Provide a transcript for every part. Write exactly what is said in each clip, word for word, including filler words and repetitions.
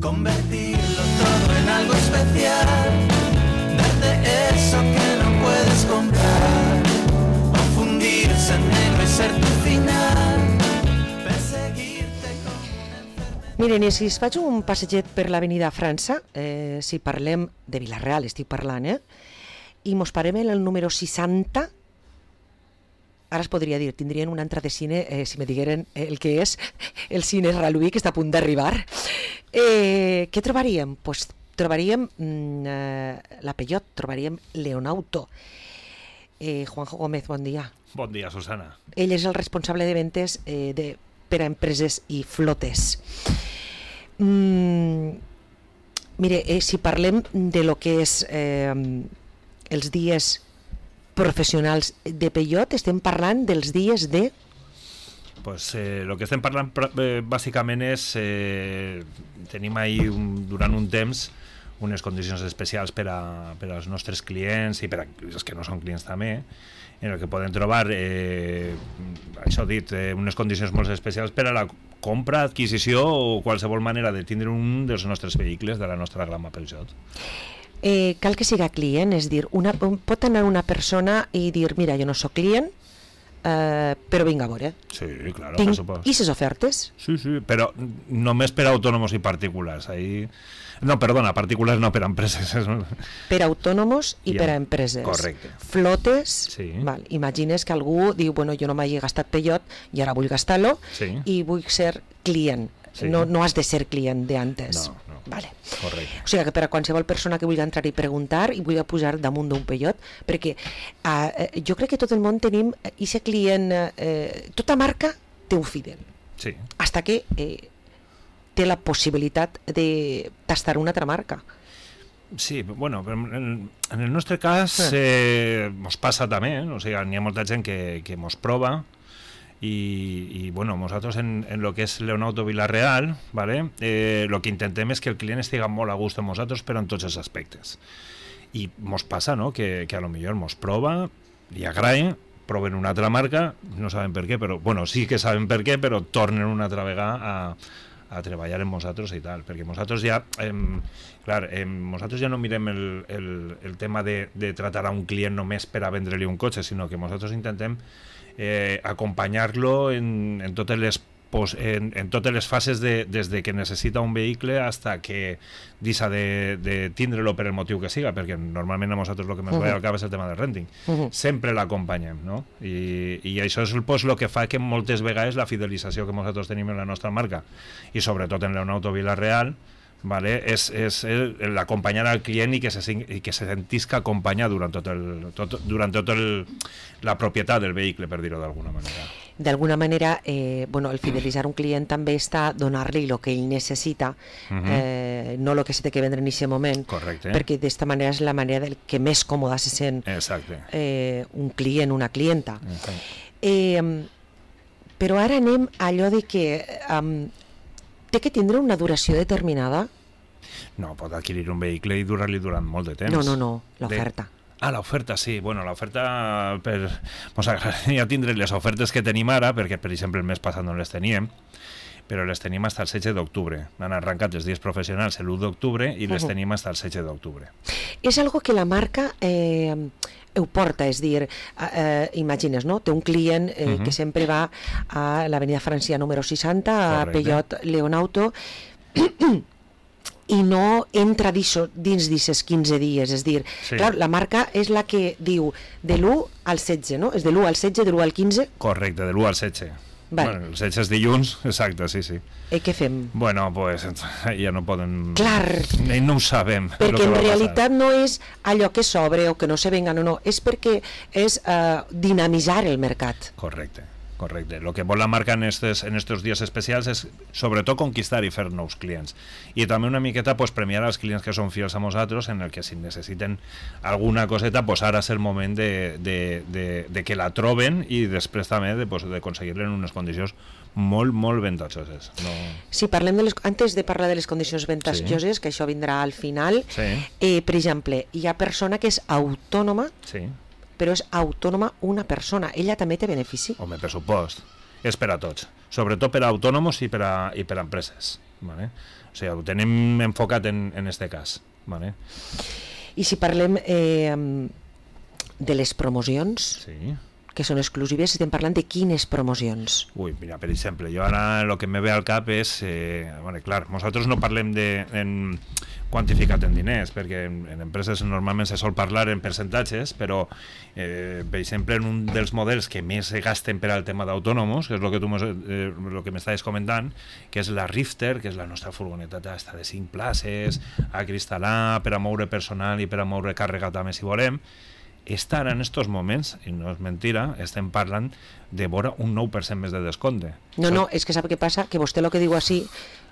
convertirlo todo en algo especial, darte eso que no puedes comprar, o fundirse en negro y ser tu final, perseguirte con una enfermedad. Miren, i si es faig un passeget per l'avenida França, eh, si parlem de Vila-real, estic parlant, eh? I mos parem en el número seixanta, ara es podria dir, tindrien una entrada de cine eh, si me digueren el que és el cine Raluí, que està a punt d'arribar. Eh, què trobaríem? Pues trobaríem mm, eh, la Peugeot, trobaríem Leonauto. Eh, Juanjo Gómez, bon dia. Bon dia, Susana. Ell és el responsable de ventes eh, de, per a empreses i flotes. Mm, mire, eh, si parlem de lo que és eh, els dies professionals de Peugeot, estem parlant dels dies de... Pues eh, lo que estem parlant eh, bàsicament és eh, tenim ahí un, durant un temps unes condicions especials per, a, per als nostres clients i per a els que no són clients també, en el que poden trobar eh, això dit, eh, unes condicions molt especials per a la compra, adquisició o qualsevol manera de tindre un dels nostres vehicles de la nostra gamma Peugeot. Eh, cal que siga client, és dir, una, pot anar una persona i dir, mira, jo no sóc client, eh, però vinc a veure. Sí, claro, Tinc per supost. I ses ofertes? Sí, sí, però només per a autònoms i particulars. Ahí... No, perdona, particulars no, per a empreses. Per a autònoms i Ja. per a empreses. Correcte. Flotes, Sí. val. Imagines que algú diu, bueno, jo no m'hagi gastat Peugeot i ara vull gastar-lo Sí. i vull ser client. Sí. No, no has de ser client d'antes. No, no. Vale. Correcte. O sigui que per a qualsevol persona que vulgui entrar i preguntar i vulgui pujar damunt d'un Peugeot, perquè eh, jo crec que tot el món tenim aquest client, eh, tota marca té un fidel, Sí. hasta que eh, té la possibilitat de tastar una altra marca. Sí, bueno, en, en el nostre cas eh, mos passa també, o sigui, n'hi ha molta gent que, que mos prova i, i bueno, nosaltres en, en lo que és Leonauto Vila-real, ¿vale? eh, lo que intentem és que el client estigui molt a gust amb nosaltres, però en tots els aspectes. I mos passa, no?, que, que a lo millor mos prova, li agrada, proven una altra marca, no saben per què, però, bueno, sí que saben per què, però tornen una altra vegada a, a treballar amb nosaltres i tal, perquè nosaltres ja, eh, clar, eh, nosaltres ja no mirem el, el, el tema de, de tratar a un client només per a vendre-li un cotxe, sinó que nosaltres intentem eh, acompanyar-lo en, en totes les pos, en, en totes les fases de, des de que necessita un vehicle hasta que deixa de, de tindre-lo per el motiu que siga, perquè normalment a nosaltres el que ens uh -huh. va al cap és el tema del renting. Uh -huh. Sempre l'acompanyem, no? I, i això és pues, el que fa que moltes vegades la fidelització que nosaltres tenim en la nostra marca, i sobretot en Leonauto Vila-real, vale, és, és l'acompanyar al client i que se, i que se sentisca acompanyar durant tot el, tot, durant tot el, la propietat del vehicle, per dir-ho d'alguna manera. D'alguna manera, eh, bueno, el fidelitzar un client també està donar-li el que ell necessita, uh-huh. eh, no el que se té que vendre en aquest moment. Correcte. Perquè d'esta manera és la manera del que més còmoda se sent eh, un client, una clienta. Uh-huh. Eh, però ara anem a allò de que um, té que tindre una duració determinada? No, pot adquirir un vehicle i durar-li durant molt de temps. No, no, no, l'oferta. De... Ah, l'oferta, sí. Bueno, l'oferta... Per... Mos agradaria tindre les ofertes que tenim ara, perquè, per exemple, el mes passat no les teníem, però les tenim fins al setze d'octubre. Han arrencat els dies professionals l'u d'octubre i les uh-huh. tenim fins al setze d'octubre. És algo que la marca eh, ho porta, és dir, eh, imagines, no? Té un client eh, uh-huh. que sempre va a l'avenida Francia número seixanta, a Peugeot Leonauto, i no entra dins d'aquests quinze dies, és dir, sí. clar, la marca és la que diu de l'u al setze, no? És de l'u al setze, de l'u al quinze? Correcte, de l'u al setze. Vale. Bueno, el setze és dilluns, exacte, sí, sí. I què fem? Bueno, pues ja no poden... Clar. No ho sabem. Perquè en realitat no és allò que s'obre o que no se venga, no, no, és perquè és uh, dinamitzar el mercat. Correcte. Correcte. El que vol la marca en estos, en estos dies especials és sobretot conquistar i fer nous clients. I també una miqueta pues, premiar als clients que són fidels a nosaltres, en el que si necessiten alguna coseta, pues, ara és el moment de, de, de, de que la troben i després també de, pues, de aconseguir-la en unes condicions molt, molt ventajoses. No... Si parlem de les, antes de parlar de les condicions ventajoses, sí. que això vindrà al final, sí. eh, per exemple, hi ha persona que és autònoma, sí. però és autònoma una persona. Ella també té benefici? Home, per supost. És per a tots. Sobretot per a autònoms i per a, i per a empreses. Vale? O sigui, ho tenim enfocat en, en este cas. Vale? I si parlem eh, de les promocions, Sí. que són exclusives, estem parlant de quines promocions? Ui, mira, per exemple, jo ara el que me ve al cap és... Eh, bueno, clar, nosaltres no parlem de... En, quantificat en diners, perquè en, en empreses normalment se sol parlar en percentatges, però, eh, per exemple, en un dels models que més se gasten per al tema d'autònomos, que és el que tu mos, eh, lo que m'estaves comentant, que és la Rifter, que és la nostra furgoneta de cinc places, a cristal·lar, per a moure personal i per a moure càrrega també, si volem. Esta ara, en estos moments, i no és mentira, estem parlant de vora un nou per cent més de descompte. No, no, és que sap què passa? Que vostè lo que diu així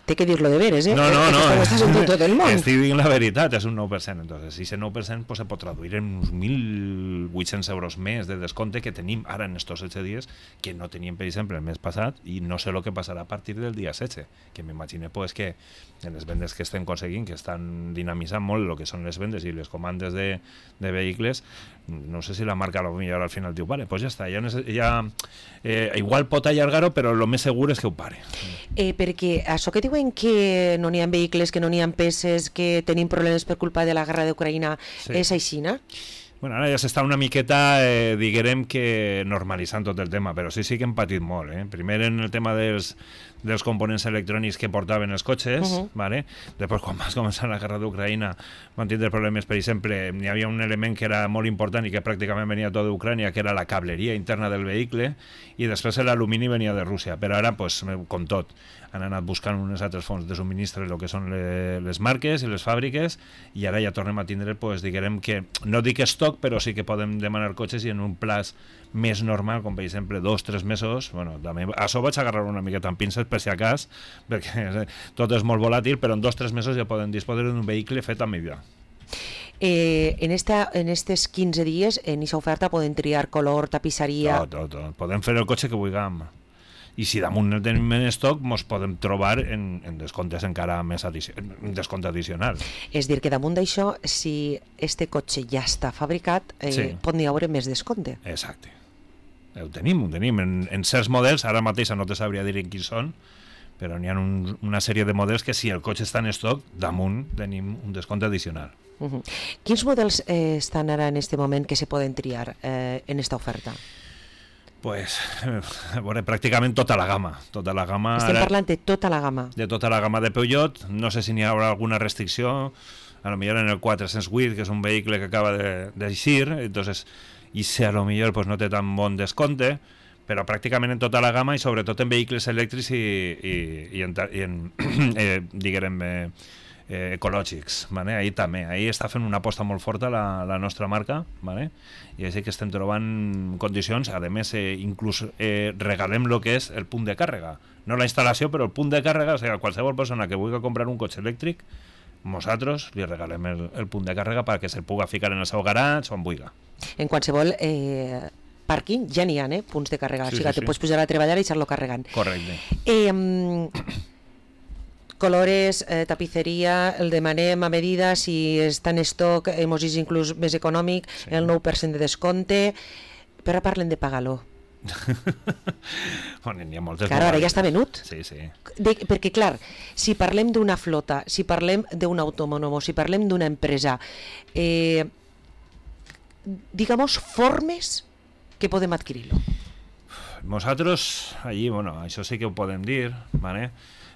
té que dir-lo de veres, eh? No, no, no. Ho estàs en tot el món. Estic dient la veritat, és un nou per cent. Entonces, si ese nou per cent pues, se pot traduir en uns mil vuit-cents euros més de descompte que tenim ara en estos setze dies, que no teníem, per exemple, el mes passat, i no sé el que passarà a partir del dia setze, que m'imagino pues, que en les vendes que estem aconseguint, que estan dinamitzant molt el que són les vendes i les comandes de, de vehicles, no sé si la marca a lo millor al final diu, vale, pues ja està, ja, ja eh, igual pot allargar-ho, però el més segur és que ho pare. Eh, perquè això que diuen que no n'hi ha vehicles, que no n'hi ha peces, que tenim problemes per culpa de la guerra d'Ucraïna, Sí. és aixina? Bueno, ara ja s'està una miqueta, eh, diguem que normalitzant tot el tema, però sí, sí que hem patit molt. Eh? Primer en el tema dels, dels components electrònics que portaven els cotxes, uh -huh. ¿vale? Després quan va començar la guerra d'Ucraïna van tindre problemes, per exemple, hi havia un element que era molt important i que pràcticament venia tot d'Ucrània, que era la cableria interna del vehicle, i després l'alumini venia de Rússia, però ara, pues, com tot, han anat buscant unes altres fonts de subministre, el que són le, les marques i les fàbriques, i ara ja tornem a tindre, pues, diguem que, no dic estoc, però sí que podem demanar cotxes i en un plaç més normal, com per exemple dos o tres mesos. Bueno, també, a això vaig agarrar una miqueta amb pinces per si a cas, perquè tot és molt volàtil, però en dos o tres mesos ja podem disposar d'un vehicle fet a mida. Eh, en esta, en estes quinze dies, en aquesta oferta poden triar color, tapisseria... Tot, tot, tot. Podem fer el cotxe que vulguem. I si damunt el tenim en estoc, ens podem trobar en, en descomptes encara més addici en descompte addicional. És dir, que damunt d'això, si este cotxe ja està fabricat, eh, Sí. pot n'hi haure més descompte. Exacte. Ho tenim, ho tenim. En, en certs models, ara mateix no te sabria dir en quins són, però n'hi ha un, una sèrie de models que si el cotxe està en estoc, damunt tenim un descompte addicional. Uh -huh. Quins models eh, estan ara en este moment que se poden triar eh, en esta oferta? Pues, eh, bueno, pràcticament tota la gamma. Tota la gamma Estem ara, parlant de tota la gamma. de tota la gamma de Peugeot. No sé si n'hi haurà alguna restricció, a lo millor en el quatre-cents vuit, que és un vehicle que acaba de- d'eixir, entonces, i si a lo millor pues, no té tan bon descompte, però pràcticament en tota la gamma i sobretot en vehicles elèctrics i, i, i en, ta- i en eh, diguem, eh, eh, ecològics, vale? Ahí també, ahí està fent una aposta molt forta la, la nostra marca, vale? I així que estem trobant condicions, a més eh, inclús eh, regalem el que és el punt de càrrega, no la instal·lació però el punt de càrrega, o sigui, qualsevol persona que vulgui comprar un cotxe elèctric, nosaltres li regalem el, el punt de càrrega perquè se'l puga ficar en el seu garatge o on vulgui. En qualsevol eh, pàrquing ja n'hi ha, eh, punts de càrrega. Sí, o sigui, sí, te sí. pots pujar a treballar i deixar-lo carregant. Correcte. Eh, mm, colores, eh, tapisseria, el demanem a medida, si està en estoc, hemos vist inclús més econòmic, Sí. el nou per cent de descompte, però parlen de pagar-lo. Bueno, n'hi ha moltes. Clar, ara ja està venut. Sí, sí. De, perquè, clar, si parlem d'una flota, si parlem d'un autònom, si parlem d'una empresa, eh, digamos, formes que podem adquirir-lo. Nosaltres, allí, bueno, això sí que ho podem dir, ¿vale?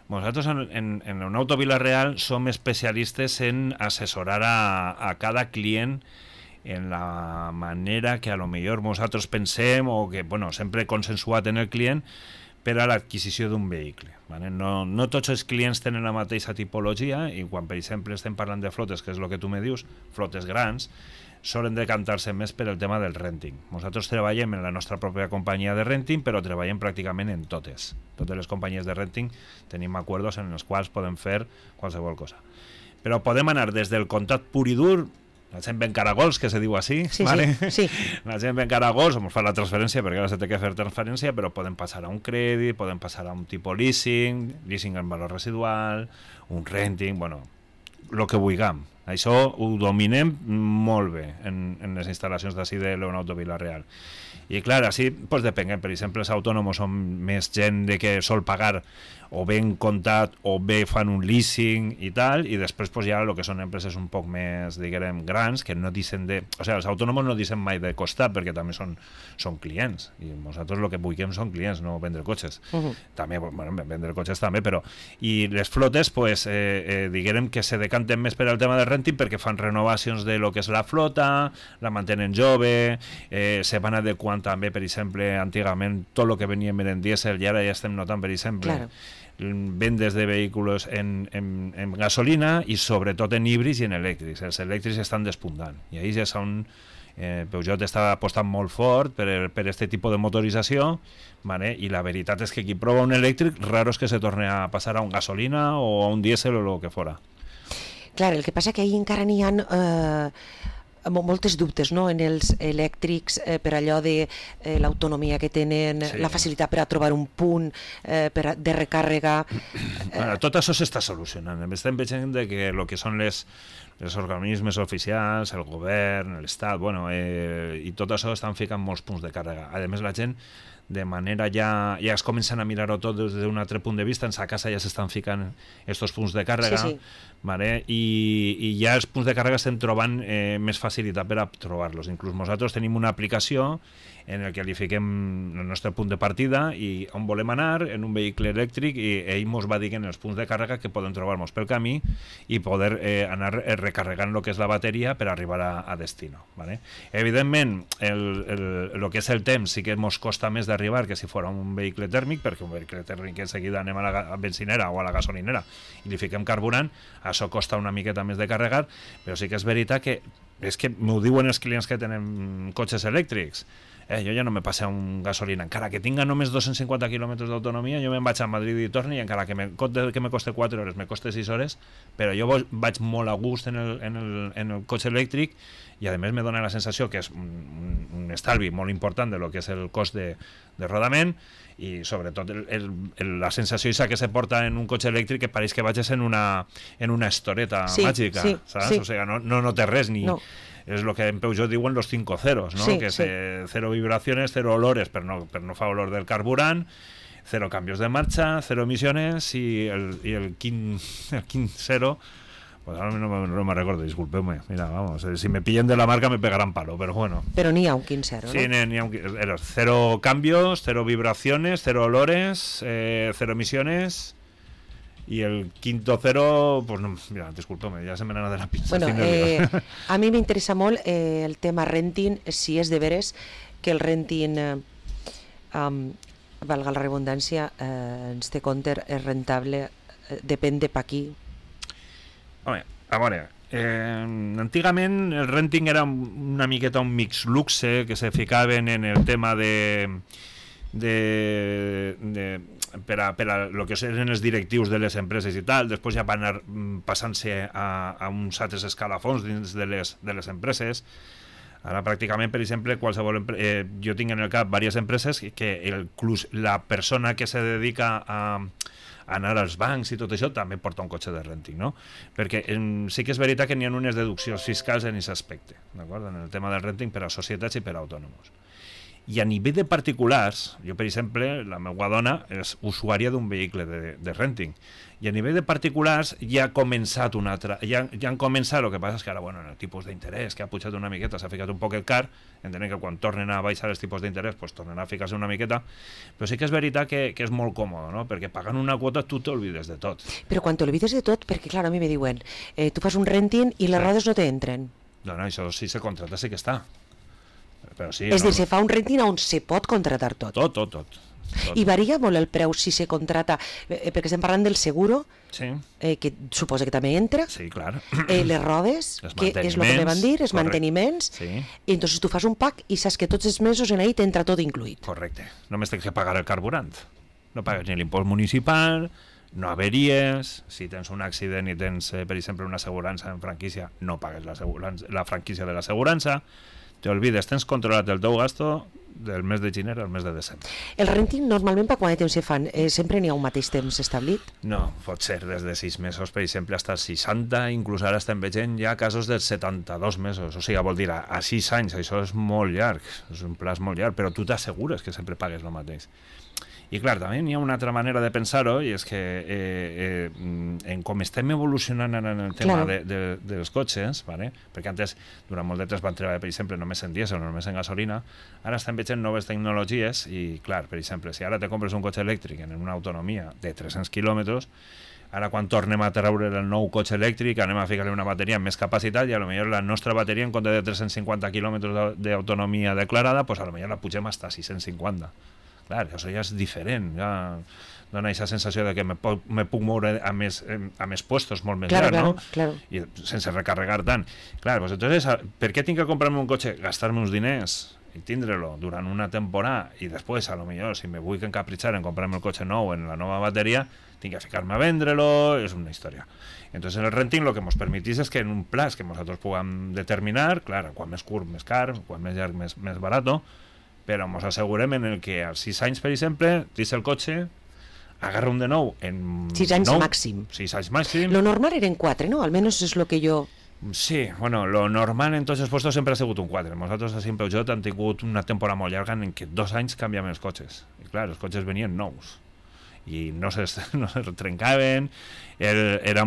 Nosaltres en, en, en un Auto Vila-real som especialistes en assessorar a, a cada client en la manera que a lo millor nosaltres pensem o que, bueno, sempre consensuat en el client per a l'adquisició d'un vehicle. ¿Vale? No, no tots els clients tenen la mateixa tipologia i quan, per exemple, estem parlant de flotes, que és el que tu me dius, flotes grans, solen decantar-se més per el tema del renting. Nosaltres treballem en la nostra pròpia companyia de renting, però treballem pràcticament en totes. Totes les companyies de renting tenim acords en els quals podem fer qualsevol cosa. Però podem anar des del contracte pur i dur, la gent ven caragols, que se diu així, Sí, ¿vale? sí, sí. La gent ven caragols, ens fa la transferència, perquè ara se té que fer transferència, però podem passar a un crèdit, podem passar a un tipus leasing, leasing en valor residual, un renting, bueno, el que vulguem. Això ho dominem molt bé en, en les instal·lacions d'ací de Leonauto Vila-real. I clar, així pues, depèn, per exemple, els autònoms són més gent de que sol pagar o bé en comptat o bé fan un leasing i tal, i després pues, ja el que són empreses un poc més, diguem, grans, que no dicen de... O sigui, els autònoms no dicen mai de costat, perquè també són, són clients, i nosaltres el que vulguem són clients, no vendre cotxes. Uh-huh. També, bueno, vendre cotxes també, però... I les flotes, pues, eh, eh, diguem que se decanten més per al tema del renting perquè fan renovacions de lo que és la flota, la mantenen jove, eh, se van adequant també, per exemple, antigament tot el que venia en dièsel, i ara ja estem notant, per exemple, claro, vendes de vehicles en, en, en gasolina i sobretot en híbrids i en elèctrics. Els elèctrics estan despuntant i ahí ja són... Eh, Peugeot està apostant molt fort per, per este tipus de motorització, vale? I la veritat és que qui prova un elèctric raro és que se torni a passar a un gasolina o a un dièsel o el que fora. Clar, el que passa que ahí encara n'hi ha eh, moltes dubtes, no?, en els elèctrics, eh, per allò de eh, l'autonomia que tenen, sí, la facilitat per a trobar un punt eh, per a, de recàrrega. Bueno, tot això s'està solucionant. Estem veient que el que són les, els organismes oficials, el govern, l'Estat, bueno, eh, i tot això estan ficant molts punts de càrrega. A més, la gent de manera ja, ja es comencen a mirar-ho tot des d'un altre punt de vista, en sa casa ja s'estan ficant estos punts de càrrega, sí, sí. Vale? I, i ja els punts de càrrega estem trobant eh, més facilitat per a trobar-los. Inclús nosaltres tenim una aplicació en el que li fiquem el nostre punt de partida i on volem anar en un vehicle elèctric, i ell ens va dir en els punts de càrrega que podem trobar-nos pel camí i poder eh, anar recarregant el que és la bateria per arribar a, a destino. Vale? Evidentment, el, el, el que és el temps sí que ens costa més d'arribar que si fos un vehicle tèrmic, perquè un vehicle tèrmic en seguida anem a la benzinera o a la gasolinera i li fiquem carburant, això costa una miqueta més de carregar, però sí que és veritat que és que m'ho diuen els clients que tenen cotxes elèctrics. Eh, jo ja no me passe a un gasolina, encara que tinga només dos-cents cinquanta quilòmetres d'autonomia, jo me'n vaig a Madrid i torni, i encara que me, que me coste quatre hores, me coste sis hores, però jo vaig molt a gust en el, en el, en el cotxe elèctric, i a més me dona la sensació que és un, un estalvi molt important de lo que és el cost de, de rodament, i sobretot el, el, el, la sensació que se porta en un cotxe elèctric que pareix que vagis en una, en una estoreta sí, màgica, sí, saps? Sí. O sigui, no, no, no té res, ni... No. Es lo que en Peugeot diuen los cinco ceros, ¿no? Sí, que sí. Es cero vibraciones, cero olores, pero no, pero no fa olor del carburant, cero cambios de marcha, cero emisiones, y el, y el quin, el quin cero, pues ahora no, no me recuerdo, discúlpeme, mira, vamos, si me pillen de la marca me pegarán palo, pero bueno. Pero ni a un quin cero, ¿no? Sí, ni, ni a un cero, cero cambios, cero vibraciones, cero olores, eh, cero emisiones... Y el quinto cero, pues no, mira, discúlpame, ya se me nada de la pinza. Bueno, eh, a mi m'interessa molt eh, el tema renting, si és de veres que el renting, eh, um, valga la redundància, eh, ens té compte, és rentable, eh, depèn de pa qui. Home, a veure, eh, antigament el renting era una miqueta un mix luxe que se ficaven en el tema de... de, de per a, per a lo que eren els directius de les empreses i tal, després ja van anar passant-se a, a uns altres escalafons dins de les, de les empreses. Ara pràcticament, per exemple, qualsevol empre... eh, jo tinc en el cap diverses empreses que el, la persona que se dedica a, a anar als bancs i tot això també porta un cotxe de renting, no? Perquè en, sí que és veritat que n'hi ha unes deduccions fiscals en aquest aspecte, d'acord? En el tema del renting per a societats i per a autònoms. I a nivell de particulars, jo per exemple, la meva dona és usuària d'un vehicle de, de renting, i a nivell de particulars ja ha començat una altra, ja, ja han començat, el que passa és que ara, bueno, en el tipus d'interès que ha pujat una miqueta, s'ha ficat un poc el car, entenem que quan tornen a baixar els tipus d'interès, pues tornen a ficar-se una miqueta, però sí que és veritat que, que és molt còmode, no? Perquè pagant una quota tu t'olvides de tot. Però quan t'olvides de tot, perquè clar, a mi me diuen, eh, tu fas un renting i les sí. rodes no t'entren. No, no, això si se contracta sí que està. Però sí, és no, dir, se fa un renting on se pot contratar tot. Tot, tot, tot. tot. I varia molt el preu si se contrata, eh, perquè estem parlant del seguro, sí. eh, que suposa que també entra, sí, clar. Eh, les rodes, que és el que me van dir, els correcte. manteniments, sí. i entonces tu fas un pack i saps que tots els mesos en ahí t'entra tot incluït. Correcte, només tens que pagar el carburant, no pagues ni l'impost municipal, no averies, si tens un accident i tens, eh, per exemple, una assegurança en franquícia, no pagues la, la franquícia de l'assegurança, te olvides, tens controlat el teu gasto, del mes de gener al mes de desembre. El renting normalment per quant de temps se fan? Eh, sempre n'hi ha un mateix temps establit? No, pot ser des de sis mesos, per exemple, fins als seixanta, inclús ara estem veient ja casos de setanta-dos mesos, o sigui, vol dir, a, a sis anys, això és molt llarg, és un plaç molt llarg, però tu t'assegures que sempre pagues el mateix. I clar, també hi ha una altra manera de pensar-ho, i és que eh, eh, en com estem evolucionant en el tema claro. de, de, dels cotxes, ¿vale? Perquè antes, durant molt de temps van treballar, per exemple, només en dièsel o només en gasolina, ara estem veient noves tecnologies i, clar, per exemple, si ara te compres un cotxe elèctric en una autonomia de tres-cents quilòmetres, ara quan tornem a treure el nou cotxe elèctric anem a ficar-li una bateria amb més capacitat i a lo millor la nostra bateria en compte de tres-cents cinquanta quilòmetres d'autonomia declarada, pues a lo millor la pugem hasta sis-cents cinquanta. Clar, això ja és diferent, ja dona aquesta sensació de que me puc, me puc moure a més, a més puestos molt més claro, llarg, claro, no? Claro. I sense recarregar tant. Clar, pues entonces, per què tinc que comprar-me un cotxe, gastar-me uns diners i tindre-lo durant una temporada i després, a lo millor, si me vull encapritxar en comprar-me el cotxe nou en la nova bateria, tinc que ficar-me a vendre-lo, és una història. Entonces, el renting lo que ens permetís és que en un plaç que nosaltres puguem determinar, clar, quan més curt, més car, quan més llarg, més, més barato, però ens assegurem en el que als sis anys, per exemple, tens el cotxe, agarra un de nou en... sis anys nou, màxim. sis anys màxim. Lo normal eren quatre, ¿no? Almenys és lo que jo... Sí, bueno, lo normal en tots els puestos sempre ha sigut un quatre. Nosaltres, a Peugeot, hem tingut una temporada molt llarga en què dos anys canviàvem els cotxes. I clar, els cotxes venien nous. I no se, no se trencaven, era, era,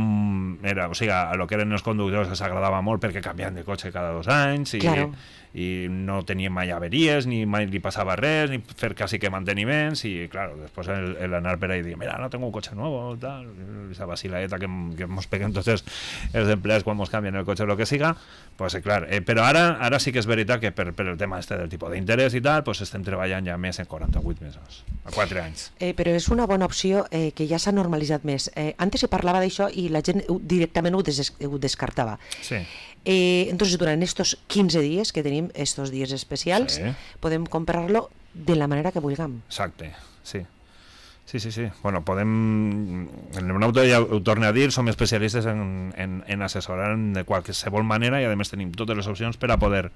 era, o sigui, a lo que eren els conductors els agradava molt perquè canviaven de cotxe cada dos anys i, claro. i no tenien mai averies, ni mai li passava res, ni fer quasi que manteniments, i claro, després el, el anar per ahí i dir, mira, no tengo un cotxe nuevo, tal, esa vacilaeta que, que mos peguen tots els, els empleats quan mos canvien el cotxe o el que siga, pues clar, eh, però ara, ara sí que és veritat que per, per el tema este del tipus d'interès i tal, pues estem treballant ja més en quaranta-vuit mesos, a quatre anys. Eh, però és una bona opció eh, que ja s'ha normalitzat més. Eh, antes se parlava d'això i la gent directament ho, des, ho descartava. Sí. Eh, entonces, durant estos quinze dies que tenim, estos dies especials, sí. podem comprar-lo de la manera que vulguem. Exacte, sí. Sí, sí, sí. Bueno, podem... En el Leonauto, ja ho torno a dir, som especialistes en, en, en assessorar de qualsevol manera i a més tenim totes les opcions per a poder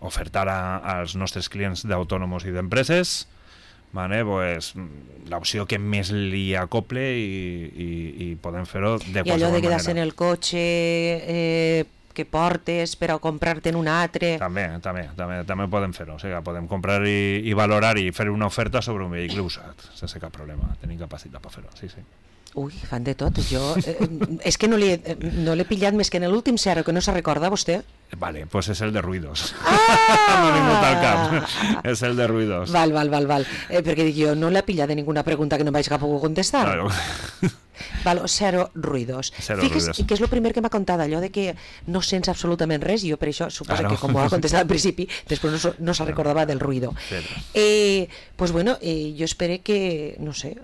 ofertar a, als nostres clients d'autònomos i d'empreses, vale, pues, l'opció que més li acople i, i, i podem fer-ho de qualsevol manera. I allò de quedar-se en el cotxe... Eh, que portes per a comprar-te en un altre... També, també, també, també podem fer-ho. O sigui, podem comprar i, i valorar i fer una oferta sobre un vehicle usat, sense cap problema. Tenim capacitat per fer-ho, sí, sí. Ui, fan de tot. Jo, eh, és que no l'he no l'he pillat més que en l'últim zero, que no se recorda vostè. Vale, pues és el de ruïdos. Ah! No ningú tal cap. És el de ruïdos. Val, val, val, val. Eh, perquè dic jo, no l'he pillat de ninguna pregunta que no vaig a poder contestar. Claro. Val, cero ruïdos. Cero Fixes ruïdos. que és el primer que m'ha contat, allò de que no sents absolutament res, i jo per això suposo Claro. que com ho ha contestat al principi, després no, no se recordava del ruïdo. Sí. Eh, pues bueno, eh, jo espero que, no sé,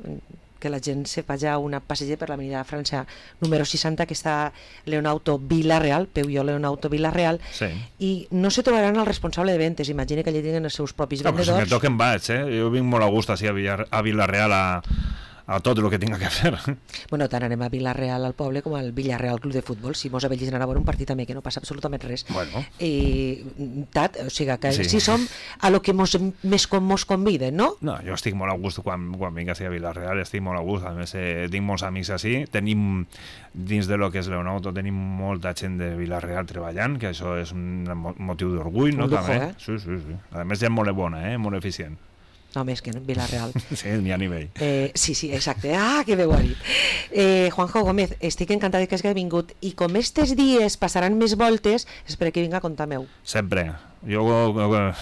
que la gent se faci una passeja per l'avenida de França número seixanta, que està Leonauto Vila-real, Peugeot Leonauto Vila-real, Sí. i no se trobaran el responsable de ventes, imagina que allà tenen els seus propis No, però si vendedors. me toquen vaig, eh? Jo vinc molt a gust així a, Villar, a Vila-real a, a tot el que tinga que fer. Bueno, tant anem a Vila-real al poble com al Villarreal Club de Futbol, si mos avellis anar a veure un partit també, que no passa absolutament res. Bueno. I, tat, o sigui, que Sí. sí. si som a lo que mos, més com mos conviden, no? No, jo estic molt a gust quan, quan vinc així a Vila-real, estic molt a gust, a més eh, tinc molts amics així, tenim dins de lo que és Leonauto, tenim molta gent de Vila-real treballant, que això és un motiu d'orgull, no? Un lujo, també. eh? Sí, sí, sí. A més gent molt bona, eh? Molt eficient. No, més que no, Vila-real. Sí, n'hi ha nivell. Eh, sí, sí, exacte. Ah, que bé ho ha dit. Eh, Juanjo Gómez, estic encantat que has vingut, i com estes dies passaran més voltes, espero que vinga a comptar meu. Sempre. Jo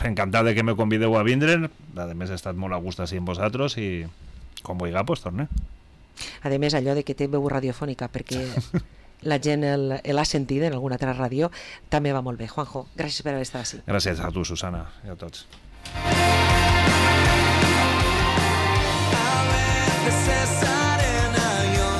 encantat de que me convideu a vindre, a més he estat molt a gust així amb vosaltres i com vulgui, pues torne. A més, allò de que té veu radiofònica, perquè la gent l'ha sentit en alguna altra ràdio, també va molt bé. Juanjo, gràcies per haver estat així. Gràcies a tu, Susana, i a tots.